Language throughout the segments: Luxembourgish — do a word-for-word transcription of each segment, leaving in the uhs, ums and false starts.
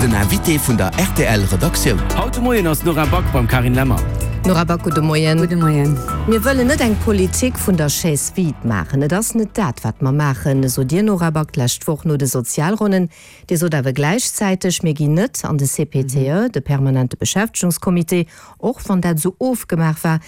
Den Invité vun der R T L Redaktioun. Haut de Moien ass d'Nora Back beim Carine Lemmer. Nora Back, gudde Moien. Gudde Moien. Mir wëllen net eng Politik vun der Chaise vide maachen. Et ass net dat, wat mer maachen, sot Dir, Nora Back, d'lescht Woch no de Sozialronnen. Dir sot awer gläichzäiteg, mir ginn net an de C P T E, de permanente Beschäftegungscomité, och wann dat esou ofgemaach war.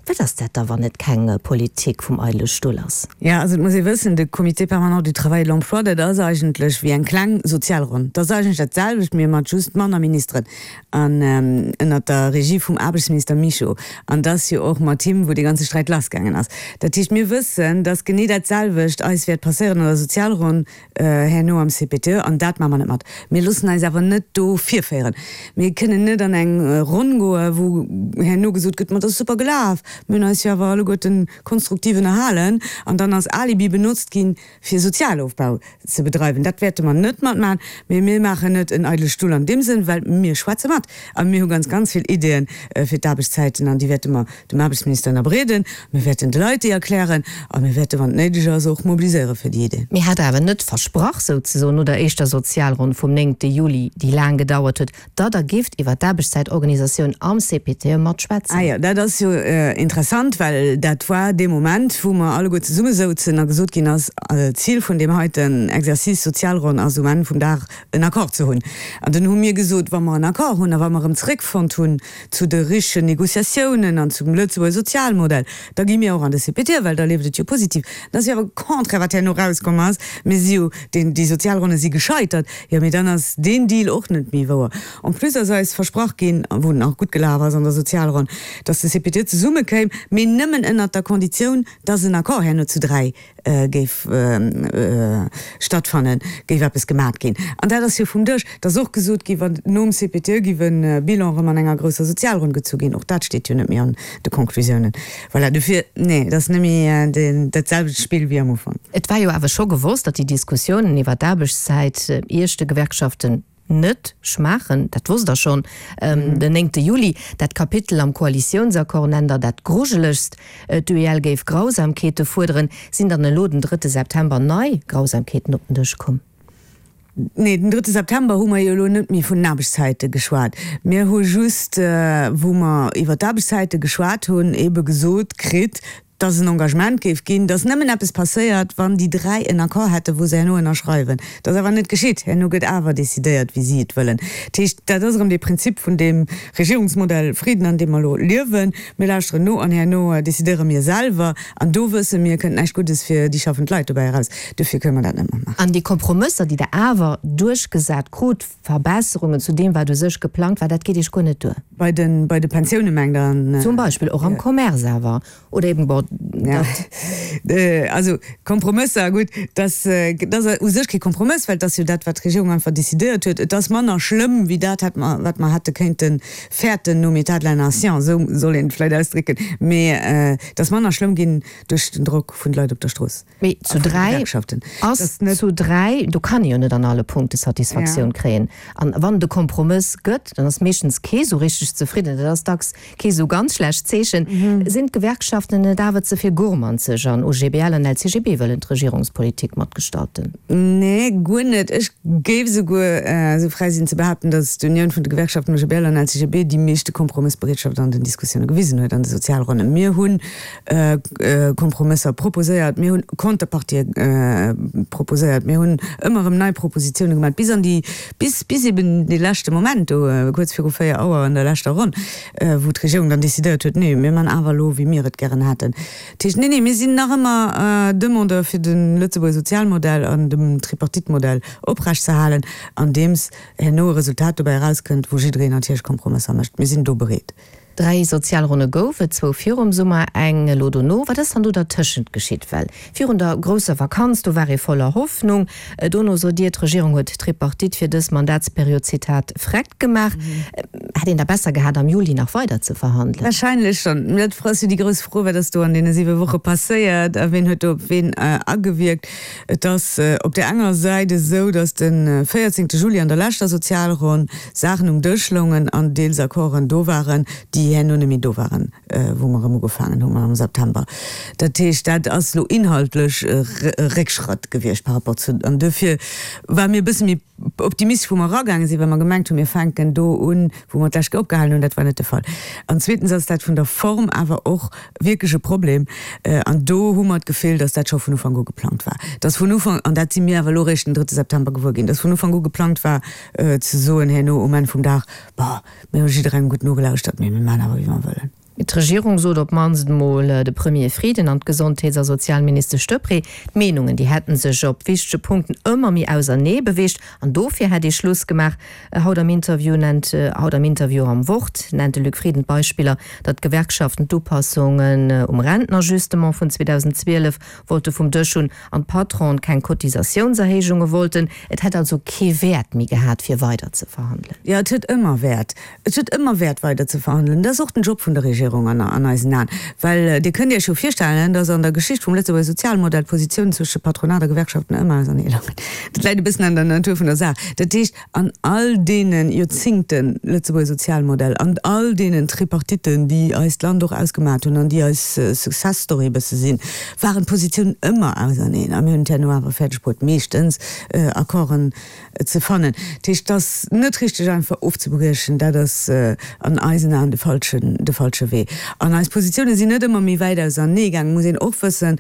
Wat ass dat da, wann et keng Politik vum eidele Stull ass? Ja, also et muss ee wëssen, de Comité permanent du travail et de l'emploi, dat ass eigentlech wéi eng kleng Sozialronn. Dat ass eigentlech dat selwecht, mee mat just manner Ministeren an ënnert der Regie vum Aarbechtsminister Mischo. An dat ass jo och mat him, wou dee ganze Sträit lassgaangen ass. Dat heescht, mir wëssen, dass genee dat selwecht eis wäert passéieren an der Sozialronn herno am C P T E, an dat maache mer net mat. Mir loossen eis awer net do virféieren. Mir kënnen net an eng Ronn goen, wou herno gesot gëtt, ma dat ass super gelaf, mir hunn eis jo awer alleguerten konstruktiv ënnerhalen, an dann als Alibi benotzt ginn, fir Sozialofbau ze bedreiwen. Dat wäerte mer net matmaachen, mee mir maachen net en eidele Stull an deem Sënn, well mir schwätze mat a mir hu ganz, ganz vill Ideeën fir d'Aarbechtszäiten an déi wäerte mer dem Aarbechtsminister ënnerbreeden. Mir wäerten de Leit déi erklären a mir wäerte, wann et néideg ass, och mobiliséiere fir déi Ideen. Mir hat awer net versprach, souzesoen, no der éischter Sozialronn vum néngte Juli, déi laang gedauert huet, datt Der géift iwwer d'Aarbechtszäitorganisatioun am C P T E matschwätzen. Ah jo, dat ass jo interessant, well dat war dee Moment, wou mer alleguer zesummesouzen a gesot ginn ass, Zil vun deem heiten Exercice Sozialronn ass um Enn vum Dag en Accord ze hunn. An dunn hu mir gesot, wa mer en Accord hunn a wa mer erëm zeréckfonnt hunn zu de richtegen Négociatiounen an zum Lëtzebuerger Sozialmodell, da gi mir och an de C P T E, well da leeft et jo positiv. Dat ass jo awer contraire, wat herno erauskomm ass. Mir si jo, deen, déi Sozialronne si gescheitert, jo, mee dann ass deen Deal och net méi wouer. En plus ass eis versprach ginn, wou en nach gutt gelaf ass an der Sozialronn, dass de C P T E zesummekéim, mee nëmmen ënnert der Konditioun, dass en Accord herno zu dräi géif stattfannen, géif eppes gemat ginn. An dat ass jo vum Dësch. Et ass och gesot ginn, wann nom C P T E géif e Bilan erëm an enger grousser Sozialronn gezu ginn. Och dat steet jo net méi an de Konklusiounen. Voilà, dofir, nee, dat ass net méi dat selwecht Spill wéi am Ufank. Et war jo awer scho gewosst, datt déi Diskussiounen iwwer d'Aarbechtszäit Iech, de Gewerkschaften, net schmaachen. Dat wosst Der schonn den néngte Juli. Dat Kapitel am Koalitiounsaccord nennt Der dat Grujelegst. D'U E L géif Grausamkeete fuerderen. Sinn dann elo den drëtte September nei Grausamkeeten op den Dësch komm? Nee, den drëtte September hu mer jo elo net méi vun den Aarbechtszäite geschwat. Mir hu just, wou mer iwwer d'Aarbechtszäite geschwat hunn, ebe gesot kritt, dass en Engagement géif ginn, dass nëmmen eppes passéiert, wann déi dräi en Accord hätten, wou se herno ënnerschreiwen. Dat ass awer net geschitt. Herno gëtt awer decidéiert, wéi si et wëllen. Dat heescht, dat ass erëm dee Prinzip vun deem Regierungsmodell Frieden, an deem mer elo liewen. Mir lauschteren no an herno decidéiere mir selwer. An do wësse mir, kënnt näischt Guddes fir déi schaffend Leit dobäi eraus. Dofir kënne mer dat net matmaachen. An déi Kompromësser, déi Der awer duerchgesat krut, Verbesserungen zu deem, wat u sech geplangt war, dat geet Iech guer net duer? Bei de, bei de Pensioune mengt Der? Zum Beispill, och am Commerce awer. Oder eben, bon, Ja. Also Kompromësser, gutt, dat ass u sech kee Kompromëss, well et ass jo dat, wat d'Regierung einfach decidéiert huet. Et ass manner schlëmm wéi dat, hätt mer, wat mer hätte kéinte fäerten nom État de la nation, esou soll een et vläicht ausdrécken. Mee et ass manner schlëmm ginn duerch den Drock vun de Leit op der Strooss Mee zu a vun de dräi Gewerkschaften. Ass zu dräi, do kann ee jo net an alle Punkte Satisfaktioun kréien. An wann et e Kompromëss gëtt, dann ass meeschtens kee sou richteg zefridden. Dat ass dacks kee sou ganz schlecht Zeechen. Sinn d'Gewerkschaften net awer ze vill gourmanzeg an O G B L an L C G B wëllen d'Regierungspolitik matgestalten? Nee, guer net. Ech géif esouguer esou fräi sinn ze behaapten, datt d'Unioun vun de Gewerkschaften O G B L an L C G B déi meeschte Kompromëssbereetschaft an den Diskussioune gewisen huet an de Sozialronnen. Mir hunn Kompromësser proposéiert, mir hunn Konterpartië proposéiert, mir hunn ëmmer erëm nei Propositioune gemaach, bis an déi, bis, bis eben dee leschte Moment do, kuerz viru véier Auer an der leschter Ronn, wou d'Regierung dann decidéiert huet, nee, mir man awer elo, wéi mir et gären hätten. Dat heescht, nee, nee, mir sinn nach ëmmer Demandeur fir de Lëtzebuerger Sozialmodell an dem Tripartite-Modell oprechtzeerhalen, andeems herno e Resultat dobäi erauskënnt, wou jiddereen natierlech Kompromësser mécht. Mir sinn do bereet. Dräi Sozialronne gouf et, zwou virum Summer, eng elo dono. Wat ass dann do dertëschent geschitt? Well virun der grousser Vakanz, do war ee voller Hoffnung. Dono sot Dir, d'Regierung huet d'Tripartite fir dës Mandatsperiod, Zitat, vreckt gemaach. Hätt een da besser gehat, am Juli nach weider ze verhandelen? Warscheinlech schonn. Dat ass jo déi grouss Fro, wat ass do an deene siwe Woche passéiert a wien huet do op wien agewierkt. Et ass op där enger Säit esou, datt de véierzéngte Juli an der leschter Sozialronn Saachen um Dësch loungen an deels Accorden do waren, déi herno net méi do waren, wou mer erëm ugefaangen hu am September. Dat heescht, dat ass elo inhaltlech e Réckschratt gewiescht par rapport zu. An duerfir ware mir e bësse méi optimistesch, wou mer eragaange sinn, well mer gemengt hunn, mir fänken do un, wou mer d'lescht Kéier opgehalen hunn. Dat war net de Fall. An zweetens ass dat vun der Form awer och wierklech e Problem. An do hu mer d'Gefill, datt dat scho vun Ufank u geplangt war, datt vun Ufank, an dat si mir awer elo eréischt den drëtte September gewuer ginn, datt vun Ufank u geplangt war ze soen herno um Enn vum Dag, Bon, mir hu jidderengem gutt nogelauschtert, mee mir maachen awer wéi mer wëllen. D'Regierung sot op d'mannst emol de Premier Frieden an d'Gesondheets a Sozialministesch Deprez, d'Meenungen déi hätten sech op wichtege Punkten ëmmer méi ausernee beweegt an dofir hätt ee Schluss gemaach. Haut am Interview nennt haut am Interview am Wort nennt de Luc Frieden d'Beispiller, datt d'Gewerkschaften d'Upassungen um Rentenajustement vun zweedausendzwielef wollte vum Dësch hunn an d'Patronen keng Cotisatiounserhéijunge wollten. Et hätt also kee Wäert méi gehat fir weider ze verhandelen. Jo, et huet ëmmer Wäert. Et huet ëmmer Wäert weider ze verhandelen. Dat ass och den Job vun der Regierung an an eisen Aen. Well Dir kënnt Iech jo virstellen, datt an der Geschicht vum Lëtzebuerger Sozialmodell d'Positiounen zwësche Patronat a Gewerkschaften ëmmer ausernee loungen. Dat läit e bëssen an der Natur vun der Saach. Dat heescht, an all deene Joerzingte Lëtzebuerger Sozialmodell, an all deenen Tripartitten, déi eist Land och ausgemaat hunn an déi eis Success Story e bësse sinn, waren d'Positiounen ëmmer auserneen. A mir hunn et herno awer fäerdeg bruet, meeschtens Accorden ze fannen. Dat heescht, et ass net richteg einfach ofzebriechen. Dat ass an eisen Aen de falschen, de falsche Wee. An eis Positioune sinn net ëmmer méi wäit ausernee gaangen. Et muss een och wëssen,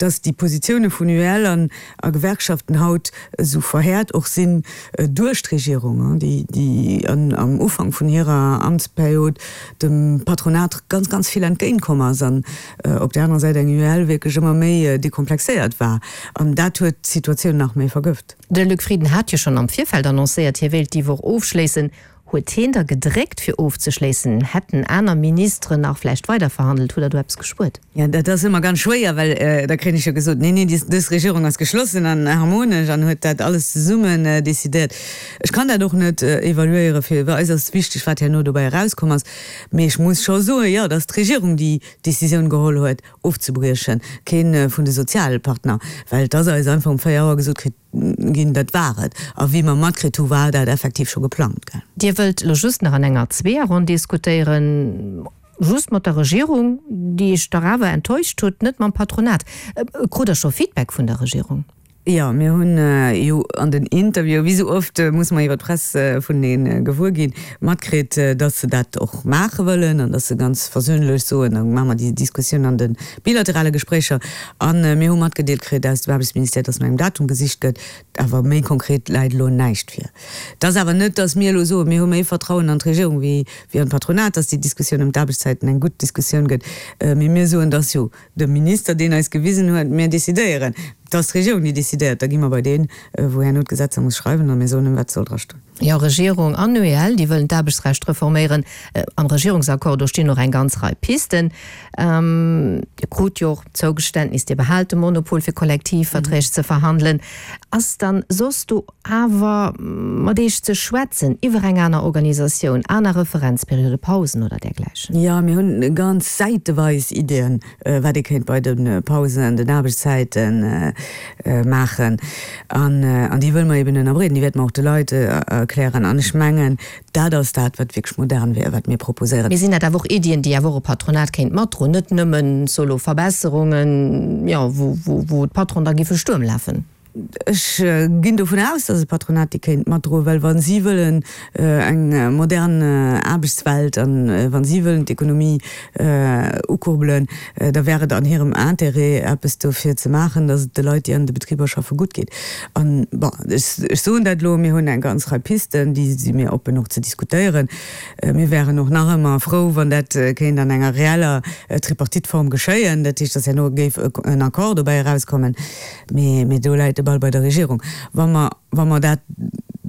datt déi Positioune vun U E L an a Gewerkschaften haut esou verhäert och sinn duerch d'Regierung, déi, déi am Ufank vun hirer Amtsperiod dem Patronat ganz, ganz vill entgéintkomm ass an op där anerer Säit eng U E L wierklech ëmmer méi dekomplexéiert war. An dat huet d'Situatioun nach méi vergëft. De Luc Frieden hat jo schonn am Virfeld annoncéiert, hie wéilt déi Woch ofschléissen. Huet hien da gedréckt fir ofzeschléissen? Hätten aner Ministeren nach vläicht weiderverhandelt? Hutt Der do eppes gespuert? Jo, dat ass ëmmer ganz schwéier, well da kréien ech jo gesot, Nee, nee, dës Regierung ass geschlossen an harmonesch an huet dat alles zesummen decidéiert. Ech kann dat och net evaluéieren. Fir eis ass wichteg, wat herno dobäi erauskomm ass. Mee ech muss scho soen, jo, et ass d'Regierung, déi d'Decisioun geholl huet, ofzebriechen, kee vun de Sozialpartner, well et ass eis einfach um véier Auer gesot kritt ginn, dat war et. A wéi mer matkritt hu, war dat effektiv scho geplangt. Dir wëllt elo just nach an enger Zweeërronn diskutéieren, just mat der Regierung, déi Iech dach awer enttäuscht huet, net mam Patronat. Krut Der scho Feedback vun der Regierung? Jo, mir hunn jo an den Interviewen, wéi esou oft musse mer iwwer d'Press vunenee gewuer ginn, matkritt, datt se dat och maache wëllen an datt se ganz versöhnlech soen, da maache mer déi Diskussioun an de bilaterale Gespréicher. A mir hu matgedeelt kritt aus dem Aarbechtsministère, datt no engem Datum gesicht gëtt. Awer méi konkret läit elo näischt vir. Et ass awer net, datt mir elo soen, mir hu méi Vertrauen an d'Regierung wéi an d'Patronat, datt déi Diskussioun ëm d'Aarbechtszäiten eng gutt Diskussioun gëtt. Mee mir soen, et ass jo de Minister, deen eis gewisen huet, mir decidéieren. Et ass d'Regierung, déi decidéiert. Da gi mer bei deen, wou herno d'Gesetzer muss schreiwen, a mir soen em, wat soll drastoen. Jo, Regierung an U E L, déi wëllen d'Aarbechtsrecht reforméieren. Am Regierungsaccord, do stinn och eng ganz Rei Pisten. Dir krut jo och d'Zougeständnis, Dir behaalt de Monopol, fir Kollektivverträg ze verhandelen. Ass dann soss do awer mat Iech ze schwätzen iwwer eng aner Organisatioun, aner Referenzperiode, Pausen oder dergläichen? Jo, mir hunn ganz säiteweis Iddien, wat ee kéint bei de Pausen, den Aarbechtszäite maachen. An déi wëlle mer eben ënnerbreeden. Déi wäerte mer och de Leit erklären. An ech mengen, dat ass dat, wat wierklech modern wier, wat mir proposéieren. Mee sinn dat awer och Iddien, déi awer och e Patronat kéint matdroen, net nëmmen solo Verbesserungen, jo, wou d'Patronen da géife Stuerm lafen? Ech ginn dovun aus, datt e Patronat déi kéint matdroen, well wa si wëllen eng modern Aarbechtswelt an wa si wëllen d'Ekonomie ukurbelen, da wär et an hirem Intérêt, eppes dofir ze maachen, datt et de Leit, déi an de Betriber schaffen, gutt geet. An, bon, ech soen dat elo, mir hunn eng ganz Rei Pisten, déi si mir oppen och ze diskutéieren. Mir wären och nach ëmmer frou, wann dat kéint an enger reeller Tripartite-Form geschéien, dat heescht, datt herno géif en Accord dobäi erauskommen. Mee do läit de Ball bei der Regierung. Wa mer, wa mer dat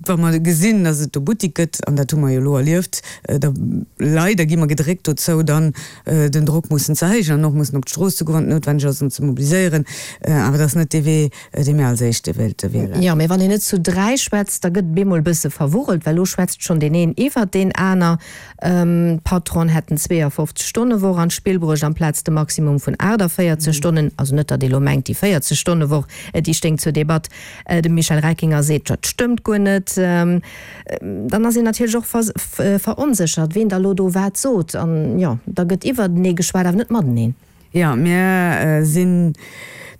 Wa mer gesinn, datt et do Buttek gëtt, an dat hu mer jo elo erlieft, da leider gi mer gedréckt dozou, dann den Drock mussen ze erhéijen an och mussen op d'Strooss ze goen, wann et noutwenneg ass, an ze mobiliséieren. Awer dat ass net dee Wee, dee mir als éischte wéilte wielen. Jo, mee wann een net zu dräi schwätzt, da gëtt et bemol e bësse verwurrelt, well elo schwätzt schonn deen een iwwert deen aner. D'Patronen hätten zweeënfofzeg Stonne Woch an d'Spill bruecht amplaz de Maximum vun aachtavéierzeg Stonnen. Also net, datt ee lo mengt, déi véierzeg Stonne Woch, déi stéing zur Debatt. De Michel Reckinger seet, dat stëmmt guer net. Dann ass een natierlech och veronséchert, ween da lo do wat sot. An jo, da gëtt iwwertenee geschwat, awer net mateneen. Jo, mir sinn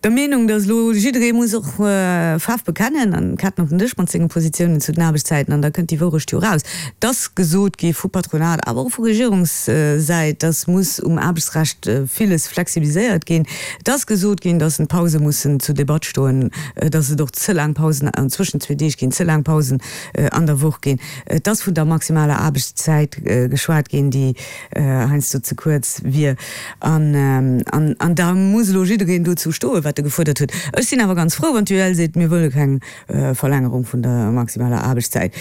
der Meenung, datt elo jidderee muss och Faarf bekennen an d'Kaarten op den Dësch mat senge Positiounen zu den Aarbechtszäiten an da kënnt déi Wourecht jo eraus. Et ass gesot gi vu Patronat, awer och vu Regierungssäit, datt muss um Aarbechtsrecht villes flexibiliséiert ginn. Et ass gesot ginn, datt d'Pause mussen zur Debatt stoen, datt et och ze laang Pausen zwëschen zwee Deeg ginn, ze laang Pausen an der Woch ginn. Et ass vun der maximaler Aarbechtszäit geschwat ginn, déi heiansdo ze kuerz wier. An da muss elo jiddereen dozou stoen, wat e gefuerdert huet. Ech sinn awer ganz frou, wann d'UEL seet, mir wëlle keng Verlängerung vun der maximaler Aarbechtszäit.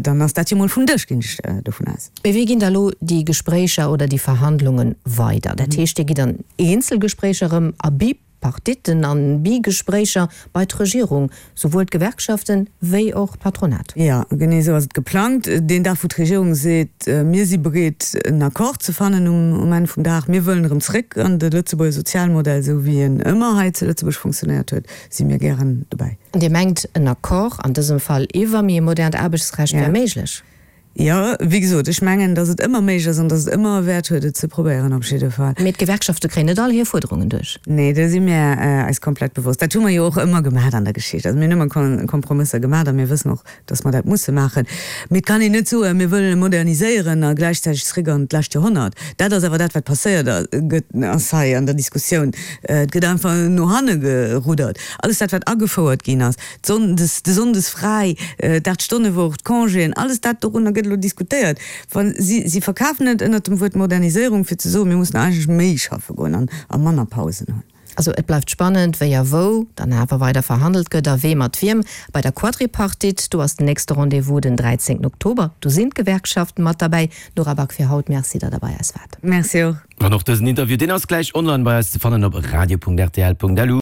Dann ass dat jo mol vum Dësch, ginn ech dovun aus. Mee wéi ginn da elo déi Gespréicher oder déi Verhandlunge weider? Dat heescht, Dir gitt an Eenzelgespréicher erëm a Bipartitten an Bigespréicher bei d'Regierung, souwuel d'Gewerkschaften wéi och d'Patronat? Jo, genee esou ass et geplangt. Deen Dag, wou d'Regierung seet, mir si bereet en Accord ze fannen um Enn vum Dag, mir wëllen erëm zréck an de Lëtzebuerger Sozialmodell, esou wéi en ëmmer hei zu Lëtzebuerg funktionéiert huet, si mir gären dobäi. An Dir mengt, en Accord, an dësem Fall iwwer méi e modernt Aarbechtsrecht, wär méiglech? Jo, wéi gesot, ech mengen, datt et ëmmer méiglech ass an datt et ëmmer e Wäert huet, et ze probéieren, op jidde Fall. Mee d'Gewerkschafte kréien net all hir Fuerderungen duerch. Nee, do si mir eis komplett bewosst. Dat hu mer jo och ëmmer gemaach an der Geschicht. Also mir hunn ëmmer Kompromësser gemaach a mir wëssen och, datt mer dat musse maachen. Mee et kann een net soen, mir wëllen moderniséieren a gläichzäiteg zréck an d'lescht Joerhonnert. Dat ass awer dat, wat passéiert gëtt, ass hei an der Diskussioun. Et gëtt einfach no hanne geruddert. Alles dat, wat agefouert ginn ass, d'Sonndes, de Sonndes fräi, d'Aacht-Stonne-Woch, d'Congéen, alles dat dorunner gëtt elo diskutéiert. Wa si, si verkafen et ënnert dem Wuert Moderniséierung, fir ze soen, mir mussen eigentlech méi schaffe goen an a manner Pausen hunn. Also et bleift spannend, wéi a wou dann awer weider verhandelt gëtt a wee mat wiem. Bei der Quadripartite, do ass den nächste Rendez-vous den dräizéngten Oktober. Do sinn d'Gewerkschaften mat derbäi. Nora Back fir haut, Merci, datt Der bei eis waart. Merci och. An och dësen Interview, deen ass gläich online bei eis ze fannen op radio punkt rtl punkt lu.